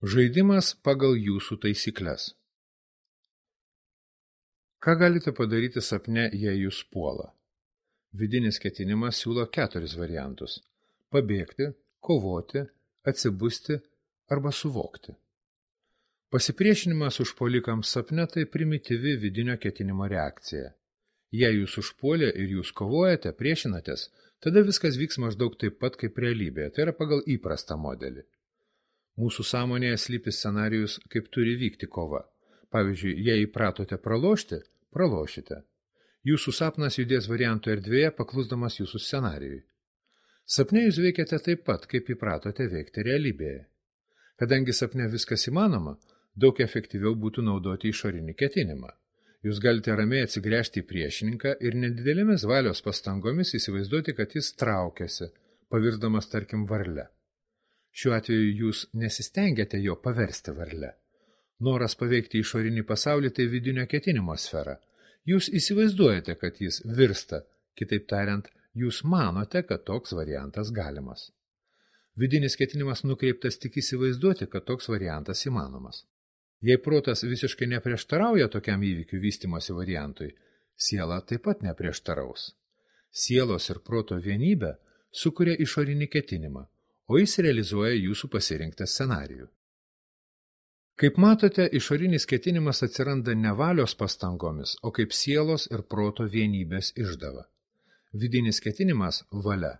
Žaidimas pagal jūsų taisykles. Ką galite padaryti sapne, jei jūs puola? Vidinis ketinimas siūlo 4 variantus – pabėgti, kovoti, atsibusti arba suvokti. Pasipriešinimas užpuolikams sapne tai primityvi vidinio ketinimo reakcija. Jei jūs užpuolė ir jūs kovojate, priešinatės, tada viskas vyks maždaug taip pat kaip realybėje, tai yra pagal įprastą modelį. Mūsų sąmonėje slypi scenarijus, kaip turi vykti kova. Pavyzdžiui, jei įpratote pralošti, pralošite. Jūsų sapnas judės variantų erdvėje, paklusdamas jūsų scenarijui. Sapne jūs veikiate taip pat, kaip įpratote veikti realybėje. Kadangi sapne viskas įmanoma, daug efektyviau būtų naudoti išorinį ketinimą. Jūs galite ramiai atsigręžti į priešininką ir nedidelėmis valios pastangomis įsivaizduoti, kad jis traukiasi, pavirsdamas tarkim varle. Šiuo atveju jūs nesistengiate jo paversti varle. Noras paveikti išorinį pasaulį tai vidinio ketinimo sfera. Jūs įsivaizduojate, kad jis virsta, kitaip tariant, jūs manote, kad toks variantas galimas. Vidinis ketinimas nukreiptas tik įsivaizduoti, kad toks variantas įmanomas. Jei protas visiškai neprieštarauja tokiam įvykių vystymosi variantui, siela taip pat neprieštaraus. Sielos ir proto vienybė sukuria išorinį ketinimą, o jis realizuoja jūsų pasirinktą scenarijų. Kaip matote, išorinis ketinimas atsiranda ne valios pastangomis, o kaip sielos ir proto vienybės išdava. Vidinis ketinimas – valia.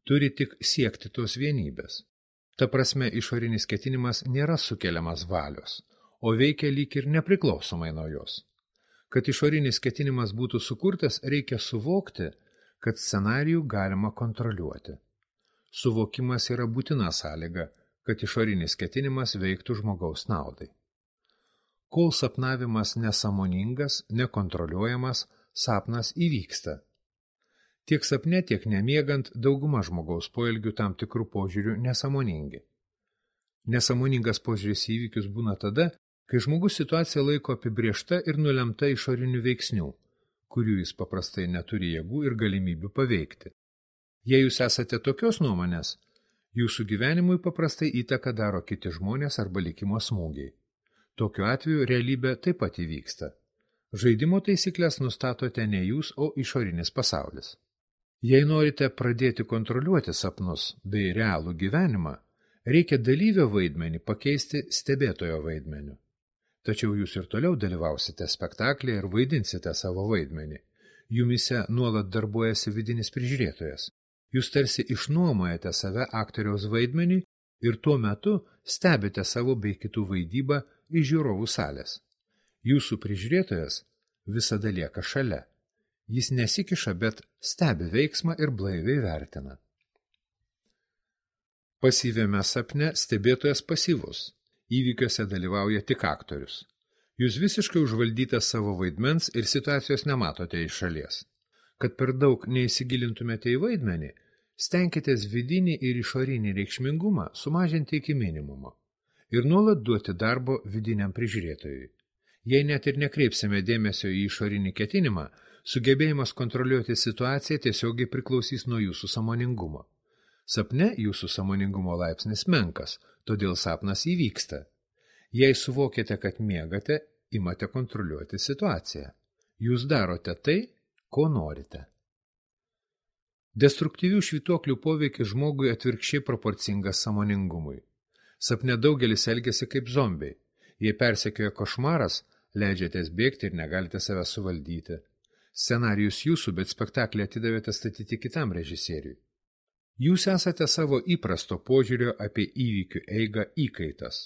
Turi tik siekti tos vienybės. Ta prasme, išorinis ketinimas nėra sukeliamas valios, o veikia lyg ir nepriklausomai nuo jos. Kad išorinis ketinimas būtų sukurtas, reikia suvokti, kad scenarijų galima kontroliuoti. Suvokimas yra būtina sąlyga, kad išorinis ketinimas veiktų žmogaus naudai. Kol sapnavimas nesąmoningas, nekontroliuojamas, sapnas įvyksta. Tiek sapne, tiek nemiegant dauguma žmogaus poelgių tam tikrų požiūrių nesąmoningi. Nesąmoningas požiūris į įvykius būna tada, kai žmogus situaciją laiko apibrėžta ir nulemta išorinių veiksnių, kurių jis paprastai neturi jėgų ir galimybių paveikti. Jei jūs esate tokios nuomonės, jūsų gyvenimui paprastai įtaką daro kiti žmonės arba likimo smūgiai. Tokiu atveju realybė taip pat įvyksta. Žaidimo taisyklės nustatote ne jūs, o išorinis pasaulis. Jei norite pradėti kontroliuoti sapnus bei realų gyvenimą, reikia dalyvio vaidmenį pakeisti stebėtojo vaidmeniu. Tačiau jūs ir toliau dalyvausite spektaklėje ir vaidinsite savo vaidmenį. Jumise nuolat darbuojasi vidinis prižiūrėtojas. Jūs tarsi išnuomojate save aktoriaus vaidmenį ir tuo metu stebite savo bei kitų vaidybą iš žiūrovų salės. Jūsų prižiūrėtojas visada lieka šalia. Jis nesikiša, bet stebi veiksmą ir blaiviai vertina. Pasyviame sapne stebėtojas pasyvus. Įvykiuose dalyvauja tik aktorius. Jūs visiškai užvaldytas savo vaidmens ir situacijos nematote iš šalies. Kad per daug neįsigilintumėte į vaidmenį, stenkitės vidinį ir išorinį reikšmingumą sumažinti iki minimumo ir nuolat duoti darbo vidiniam prižiūrėtojui. Jei net ir nekreipsime dėmesio į išorinį ketinimą, sugebėjimas kontroliuoti situaciją tiesiogiai priklausys nuo jūsų sąmoningumo. Sapne jūsų sąmoningumo laipsnis menkas, todėl sapnas įvyksta. Jei suvokėte, kad miegate, imate kontroliuoti situaciją. Jūs darote tai, ko norite. Destruktyvių švytuoklių poveikis žmogui atvirkščiai proporcingas sąmoningumui. Sapne daugelis elgiasi kaip zombiai. Jei persekioja košmaras, leidžiatės bėgti ir negalite save suvaldyti. Scenarijus jūsų, bet spektaklį atidavėte statyti kitam režisieriui. Jūs esate savo įprasto požiūrio apie įvykių eigą įkaitas.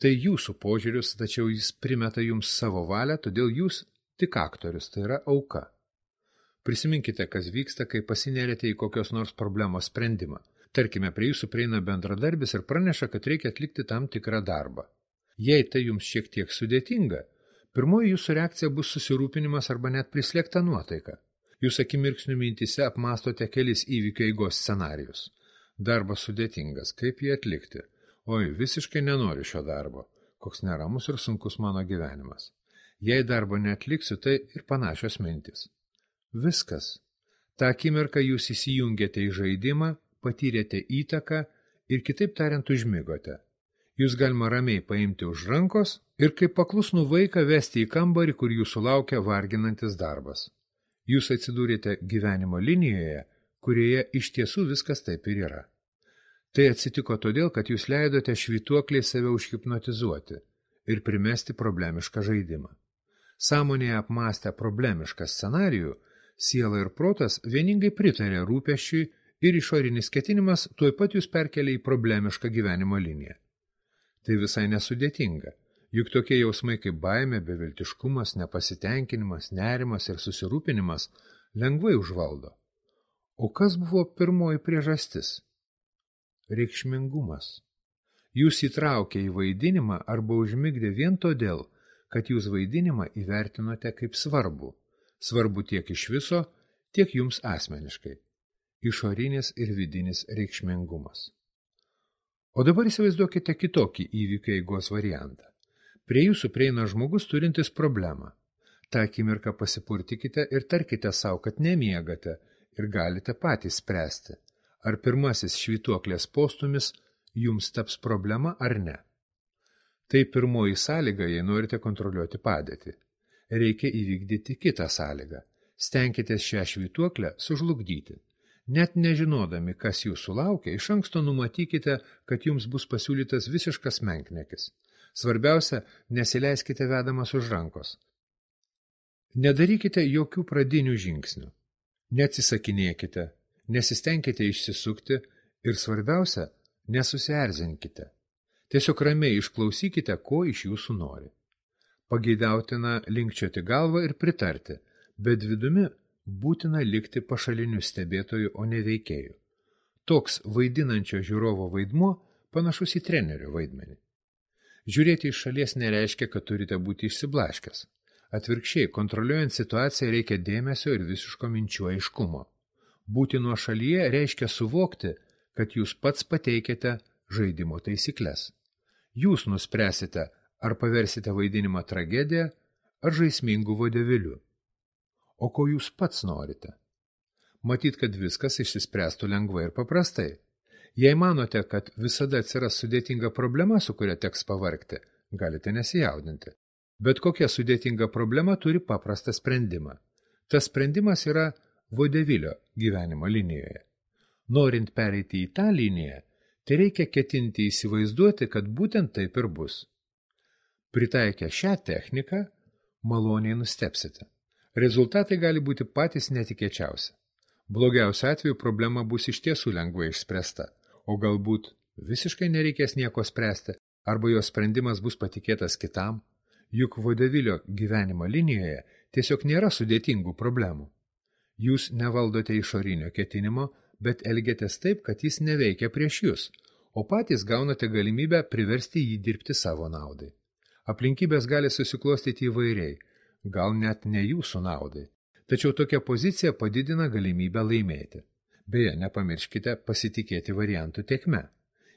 Tai jūsų požiūris, tačiau jis primeta jums savo valią, todėl jūs tik aktorius, tai yra auka. Prisiminkite, kas vyksta, kai pasinerėte į kokios nors problemos sprendimą. Tarkime, prie jūsų prieina bendradarbis ir praneša, kad reikia atlikti tam tikrą darbą. Jei tai jums šiek tiek sudėtinga, pirmoji jūsų reakcija bus susirūpinimas arba net prislėgta nuotaika. Jūs akimirksniu mintyse apmastote kelis įvykio eigos scenarijus. Darbas sudėtingas, kaip jį atlikti? Oi, visiškai nenoriu šio darbo. Koks neramus ir sunkus mano gyvenimas. Jei darbo neatliksiu, tai ir panašios mintys. Viskas. Ta akimirka jūs įsijungėte į žaidimą, patyrėte įtaką ir kitaip tariant užmigote. Jūs galima ramiai paimti už rankos ir kaip paklusnų vaiką vesti į kambarį, kur jūsų laukia varginantis darbas. Jūs atsidūrėte gyvenimo linijoje, kurioje iš tiesų viskas taip ir yra. Tai atsitiko todėl, kad jūs leidote švytuokliai save užhipnotizuoti ir primesti problemišką žaidimą. Sąmonėje apmąstę problemišką scenarijų, siela ir protas vieningai pritarė rūpesčiui ir išorinis ketinimas tuoj pat jūs perkelia į problemišką gyvenimo liniją. Tai visai nesudėtinga, juk tokie jausmai kaip baimė, beviltiškumas, nepasitenkinimas, nerimas ir susirūpinimas lengvai užvaldo. O kas buvo pirmoji priežastis? Reikšmingumas. Jūs įtraukė į vaidinimą arba užmigdė vien todėl, kad jūs vaidinimą įvertinote kaip svarbu. Svarbu tiek iš viso, tiek jums asmeniškai. Išorinis ir vidinis reikšmingumas. O dabar įsivaizduokite kitokį įvykių eigos variantą. Prie jūsų prieina žmogus turintis problemą. Ta akimirką pasipurtikite ir tarkite savo, kad nemiegate ir galite patys spręsti, ar pirmasis švytuoklės postumis jums taps problema ar ne. Tai pirmoji sąlyga, jei norite kontroliuoti padėtį. Reikia įvykdyti kitą sąlygą. Stenkitės šią švytuoklę sužlugdyti. Net nežinodami, kas jūsų laukia, iš anksto numatykite, kad jums bus pasiūlytas visiškas menkniekis. Svarbiausia, nesileiskite vedamas už rankos. Nedarykite jokių pradinių žingsnių. Neatsisakinėkite, nesistengkite išsisukti ir svarbiausia, nesusierzinkite. Tiesiog ramiai išklausykite, ko iš jūsų nori. Pageidautina linkčioti galvą ir pritarti, bet vidumi būtina likti pašaliniu stebėtoju, o ne veikėju. Toks vaidinančio žiūrovo vaidmuo panašus į trenerio vaidmenį. Žiūrėti iš šalies nereiškia, kad turite būti išsiblaškęs. Atvirkščiai, kontroliuojant situaciją reikia dėmesio ir visiško minčių aiškumo. Būti nuo šalyje reiškia suvokti, kad jūs pats pateikėte žaidimo taisyklės. Jūs nuspręsite, ar paversite vaidinimą tragediją, ar žaismingų vodevilių. O ko jūs pats norite? Matyt, kad viskas išsispręstų lengvai ir paprastai. Jei manote, kad visada atsiras sudėtinga problema, su kuria teks pavargti, galite nesijaudinti. Bet kokia sudėtinga problema turi paprastą sprendimą. Tas sprendimas yra vodevilio gyvenimo linijoje. Norint pereiti į tą liniją, tai reikia ketinti įsivaizduoti, kad būtent taip ir bus. Pritaikę šią techniką, maloniai nustebsite. Rezultatai gali būti patys netikėčiausi. Blogiausiu atveju problema bus iš tiesų lengvai išspręsta, o galbūt visiškai nereikės nieko spręsti, arba jos sprendimas bus patikėtas kitam, juk vodevilio gyvenimo linijoje tiesiog nėra sudėtingų problemų. Jūs nevaldote išorinio ketinimo, bet elgiatės taip, kad jis neveikia prieš jūs, o patys gaunate galimybę priversti jį dirbti savo naudai. Aplinkybės gali susiklostyti įvairiai, gal net ne jūsų naudai, tačiau tokia pozicija padidina galimybę laimėti. Beje, nepamirškite pasitikėti variantų tėkme.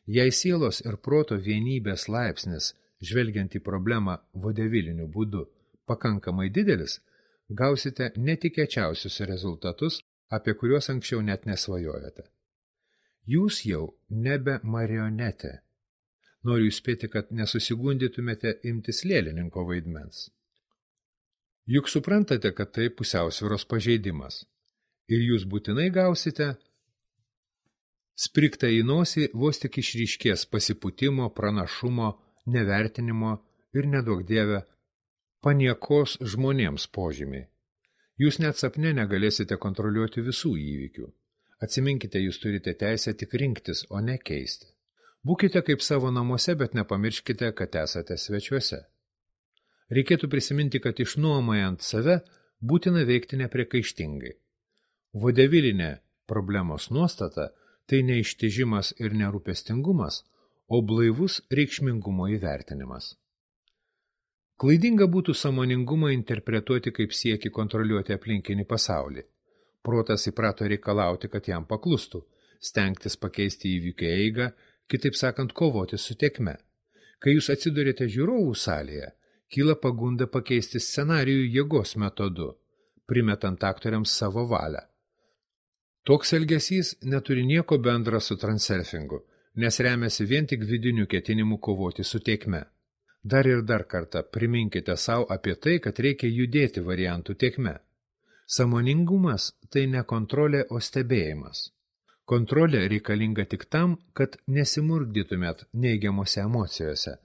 Jei sielos ir proto vienybės laipsnis, žvelgiant į problemą vodeviliniu būdu, pakankamai didelis, gausite netikėčiausius rezultatus, apie kuriuos anksčiau net nesvajojote. Jūs jau nebe marionetė. Noriu įspėti, kad nesusigundytumėte imtis lėlininko vaidmens. Juk suprantate, kad tai pusiausvyros pažeidimas. Ir jūs būtinai gausite sprigtą į nosį vos tik išryškės pasipūtimo, pranašumo, nevertinimo ir neduok dieve paniekos žmonėms požymiai. Jūs net sapne negalėsite kontroliuoti visų įvykių. Atsiminkite, jūs turite teisę tik rinktis, o ne keisti. Būkite kaip savo namuose, bet nepamirškite, kad esate svečiuose. Reikėtų prisiminti, kad išnuomojant save būtina veikti nepriekaištingai. Vodevilinė problemos nuostata tai ne ištižimas ir nerūpestingumas, o blaivus reikšmingumo įvertinimas. Klaidinga būtų sąmoningumą interpretuoti kaip siekį kontroliuoti aplinkinį pasaulį. Protas įprato reikalauti, kad jam paklustų, stengtis pakeisti įvykių eigą, kitaip sakant, kovoti su tėkme. Kai jūs atsidurėte žiūrovų salėje, kyla pagunda pakeisti scenarijų jėgos metodu, primetant aktoriams savo valią. Toks elgesys neturi nieko bendra su transurfingu, nes remiasi vien tik vidiniu ketinimu kovoti su tėkme. Dar ir dar kartą priminkite savo apie tai, kad reikia judėti variantų tėkme. Sąmoningumas tai ne kontrolė, o stebėjimas. Kontrolė reikalinga tik tam, kad nesimurgdytumėt neigiamose emocijose,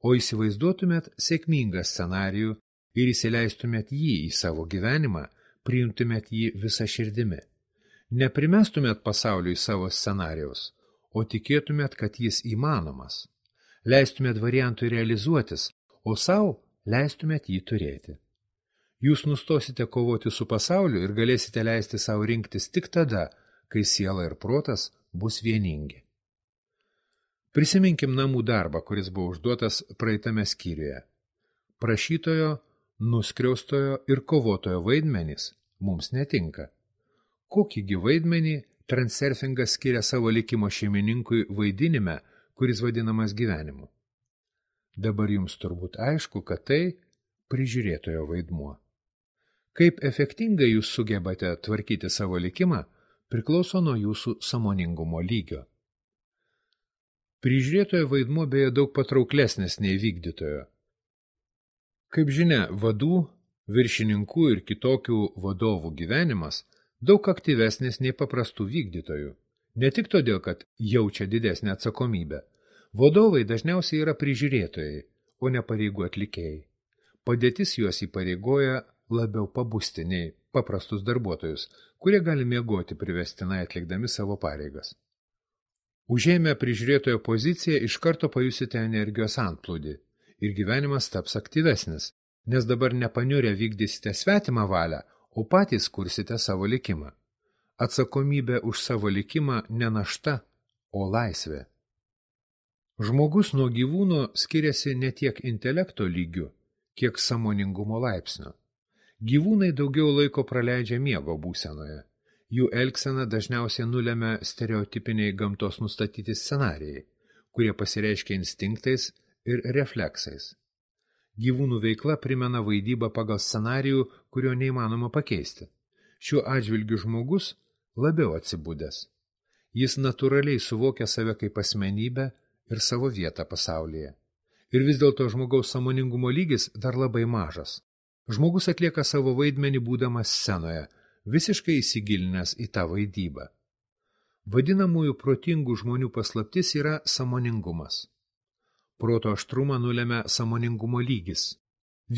o įsivaizduotumėt sėkmingą scenarijų ir įsileistumėt jį į savo gyvenimą, priimtumėt jį visą širdimi. Neprimestumėt pasauliui savo scenarijaus, o tikėtumėt, kad jis įmanomas. Leistumėt variantui realizuotis, o savo leistumėt jį turėti. Jūs nustosite kovoti su pasauliu ir galėsite leisti savo rinktis tik tada, kai siela ir protas bus vieningi. Prisiminkim namų darbą, kuris buvo užduotas praeitame skyriuje. Prašytojo, nuskriaustojo ir kovotojo vaidmenys mums netinka. Kokįgi vaidmenį transurfingas skiria savo likimo šeimininkui vaidinime, kuris vadinamas gyvenimu? Dabar jums turbūt aišku, kad tai prižiūrėtojo vaidmuo. Kaip efektingai jūs sugebate tvarkyti savo likimą, priklauso nuo jūsų sąmoningumo lygio. Prižiūrėtojo vaidmuo beje daug patrauklesnis nei vykdytojo. Kaip žinia, vadų, viršininkų ir kitokių vadovų gyvenimas daug aktyvesnis nei paprastų vykdytojų. Ne tik todėl, kad jaučia didesnę atsakomybę. Vadovai dažniausiai yra prižiūrėtojai, o ne pareigų atlikėjai. Padėtis juos įpareigoja labiau pabusti nei paprastus darbuotojus, kurie gali miegoti privestinai atlikdami savo pareigas. Užėmę prižiūrėtojo poziciją iš karto pajusite energijos antplūdį ir gyvenimas taps aktyvesnis, nes dabar nepaniurę vykdysite svetimą valią, o patys kursite savo likimą. Atsakomybė už savo likimą ne našta, o laisvė. Žmogus nuo gyvūno skiriasi ne tiek intelekto lygiu, kiek sąmoningumo laipsnio. Gyvūnai daugiau laiko praleidžia miego būsenoje. Jų elgsena dažniausiai nulemia stereotipiniai gamtos nustatyti scenarijai, kurie pasireiškia instinktais ir refleksais. Gyvūnų veikla primena vaidybą pagal scenarijų, kurio neįmanoma pakeisti. Šiuo atžvilgiu žmogus labiau atsibudęs. Jis natūraliai suvokia save kaip asmenybę ir savo vietą pasaulyje. Ir vis dėlto žmogaus sąmoningumo lygis dar labai mažas. Žmogus atlieka savo vaidmenį būdamas scenoje, visiškai įsigilinęs į tą vaidybą. Vadinamųjų protingų žmonių paslaptis yra sąmoningumas. Proto aštrumą nulemia sąmoningumo lygis.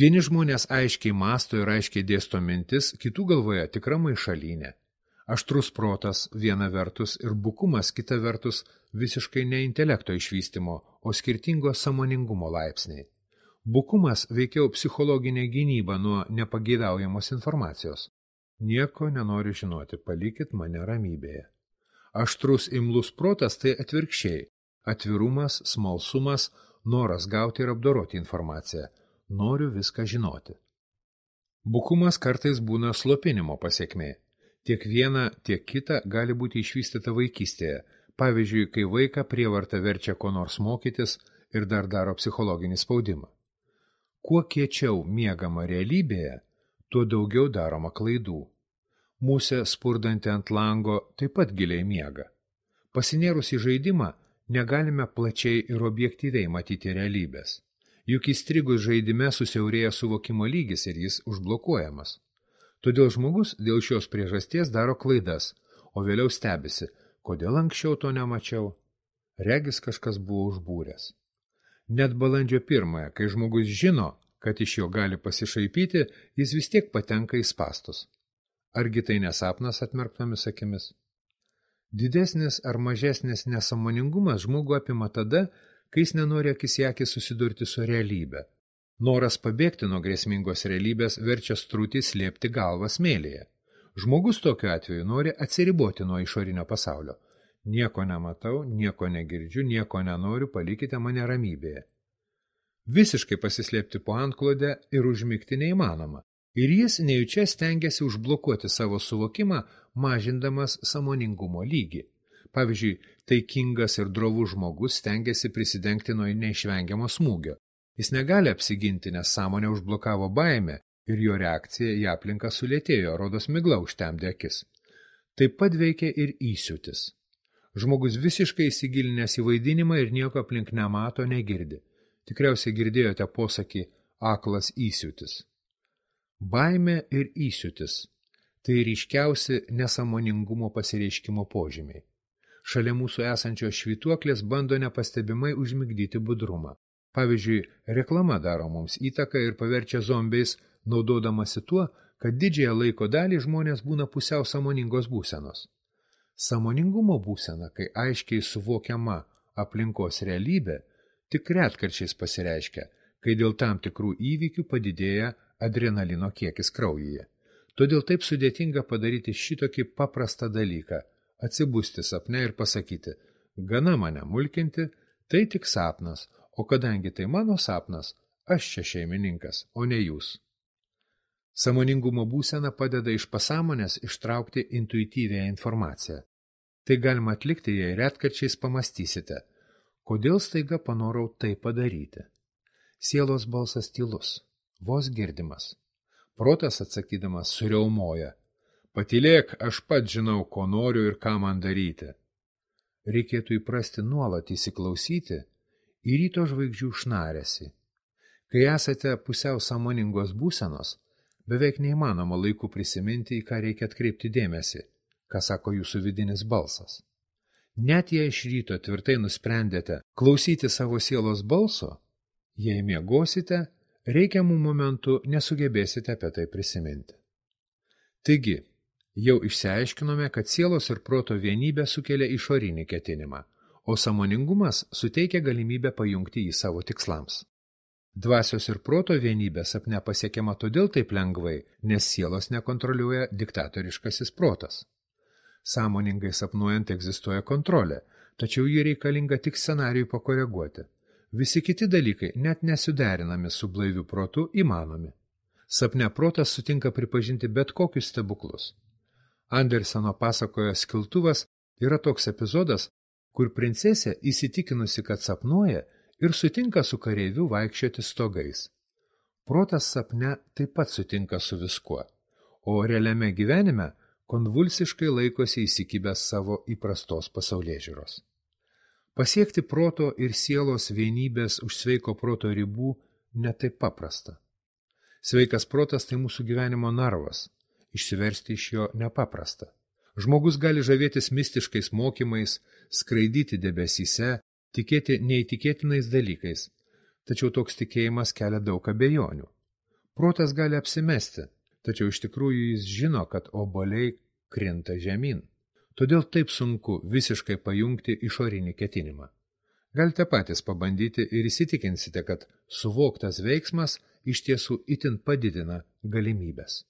Vieni žmonės aiškiai mąsto ir aiškiai dėsto mintis, kitų galvoje tikra maišalynė. Aštrus protas viena vertus ir bukumas kita vertus visiškai ne intelekto išvystymo, o skirtingo sąmoningumo laipsniai. Bukumas veikiau psichologinė gynyba nuo nepageidaujamos informacijos. Nieko nenoriu žinoti, palikit mane ramybėje. Aštrus imlus protas tai atvirkščiai. Atvirumas, smalsumas, noras gauti ir apdoroti informaciją. Noriu viską žinoti. Bukumas kartais būna slopinimo pasekmė. Tiek viena, tiek kita gali būti išvystyta vaikystėje. Pavyzdžiui, kai vaiką prievarta verčia ko nors mokytis ir dar daro psichologinį spaudimą. Kuo kiečiau miegama realybėje, tuo daugiau daroma klaidų. Musė spurdanti ant lango taip pat giliai miega. Pasinėrus į žaidimą, negalime plačiai ir objektyviai matyti realybės. Juk įstrigus žaidime susiaurėja suvokimo lygis ir jis užblokuojamas. Todėl žmogus dėl šios priežasties daro klaidas, o vėliau stebisi, kodėl anksčiau to nemačiau. Regis kažkas buvo užbūręs. Net balandžio 1, kai žmogus žino, kad iš jo gali pasišaipyti, jis vis tiek patenka į spastus. Argi tai nesapnas atmerktomis akimis? Didesnis ar mažesnis nesąmoningumas žmogų apima tada, kai jis nenori akis į akį susidurti su realybe. Noras pabėgti nuo grėsmingos realybės verčia strutį slėpti galvą smėlyje. Žmogus tokiu atveju nori atsiriboti nuo išorinio pasaulio. Nieko nematau, nieko negirdžiu, nieko nenoriu, palikite mane ramybėje. Visiškai pasislėpti po antklodę ir užmigti neįmanoma. Ir jis nejučia stengiasi užblokuoti savo suvokimą, mažindamas sąmoningumo lygį. Pavyzdžiui, taikingas ir drovus žmogus stengiasi prisidengti nuo neišvengiamo smūgio. Jis negali apsiginti, nes sąmonė užblokavo baimę ir jo reakcija į aplinką sulėtėjo, rodos migla užtemdė akis. Taip pat veikia ir įsiūtis. Žmogus visiškai įsigilinęs į vaidinimą ir nieko aplink nemato, negirdi. Tikriausiai girdėjote posakį aklas įsiūtis. Baimė ir įsiūtis – tai ryškiausi nesąmoningumo pasireiškimo požymiai. Šalia mūsų esančios švytuoklės bando nepastebimai užmigdyti budrumą. Pavyzdžiui, reklama daro mums įtaką ir paverčia zombiais, naudodamasi tuo, kad didžiąją laiko dalį žmonės būna pusiau sąmoningos būsenos. Sąmoningumo būsena, kai aiškiai suvokiama aplinkos realybė, tik retkarčiais pasireiškia, kai dėl tam tikrų įvykių padidėja adrenalino kiekis kraujyje. Todėl taip sudėtinga padaryti šitokį paprastą dalyką – atsibusti sapne ir pasakyti, gana mane mulkinti, tai tik sapnas, o kadangi tai mano sapnas, aš čia šeimininkas, o ne jūs. Sąmoningumo būsena padeda iš pasąmonės ištraukti intuityvią informaciją. Tai galima atlikti, jei retkarčiais pamastysite, kodėl staiga panorau tai padaryti. Sielos balsas tylus, vos girdimas. Protas atsakydamas suriaumoja. Patylėk, aš pats žinau, ko noriu ir ką man daryti. Reikėtų įprasti nuolat įsiklausyti į ryto žvaigždžių šnarėsi. Kai esate pusiau sąmoningos būsenos, beveik neįmanoma laiku prisiminti, į ką reikia atkreipti dėmesį, ką sako jūsų vidinis balsas. Net jei iš ryto tvirtai nusprendėte klausyti savo sielos balso, jei miegosite, reikiamų momentų nesugebėsite apie tai prisiminti. Taigi, jau išsiaiškinome, kad sielos ir proto vienybė sukelia išorinį ketinimą, o sąmoningumas suteikia galimybę pajungti jį savo tikslams. Dvasios ir proto vienybė sapne pasiekiama todėl taip lengvai, nes sielos nekontroliuoja diktatoriškasis protas. Sąmoningai sapnuojant egzistuoja kontrolė, tačiau ji reikalinga tik scenarijui pakoreguoti. Visi kiti dalykai, net nesuderinami su blaiviu protu, įmanomi. Sapne protas sutinka pripažinti bet kokius stebuklus. Anderseno pasakojo Skiltuvas yra toks epizodas, kur princesė įsitikinusi, kad sapnuoja ir sutinka su kareiviu vaikščioti stogais. Protas sapne taip pat sutinka su viskuo, o realiame gyvenime konvulsiškai laikosi įsikibęs savo įprastos pasaulėžiūros. Pasiekti proto ir sielos vienybės už sveiko proto ribų netaip paprasta. Sveikas protas tai mūsų gyvenimo narvas, išsiversti iš jo nepaprasta. Žmogus gali žavėtis mistiškais mokymais, skraidyti debesyse, tikėti neįtikėtinais dalykais, tačiau toks tikėjimas kelia daug abejonių. Protas gali apsimesti, tačiau iš tikrųjų jis žino, kad obuoliai krinta žemyn. Todėl taip sunku visiškai pajungti išorinį ketinimą. Galite patys pabandyti ir įsitikinsite, kad suvoktas veiksmas iš tiesų itin padidina galimybes.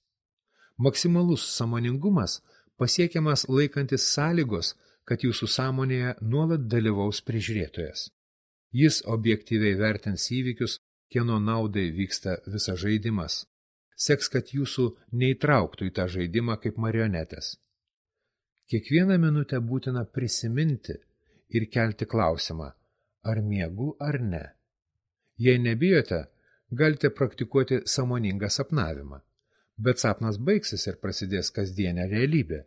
Maksimalus sąmoningumas pasiekiamas laikantis sąlygos, kad jūsų sąmonėje nuolat dalyvaus prižiūrėtojas. Jis objektyviai vertins įvykius, kieno naudai vyksta visas žaidimas. Seks, kad jūsų neįtrauktų į tą žaidimą kaip marionetės. Kiekvieną minutę būtina prisiminti ir kelti klausimą, ar miegu ar ne. Jei nebijote, galite praktikuoti sąmoningą sapnavimą, bet sapnas baigsis ir prasidės kasdienė realybė.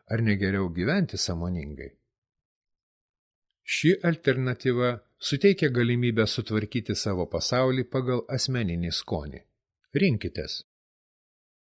Ar negeriau gyventi sąmoningai? Ši alternatyva suteikia galimybę sutvarkyti savo pasaulį pagal asmeninį skonį. Rinkitės.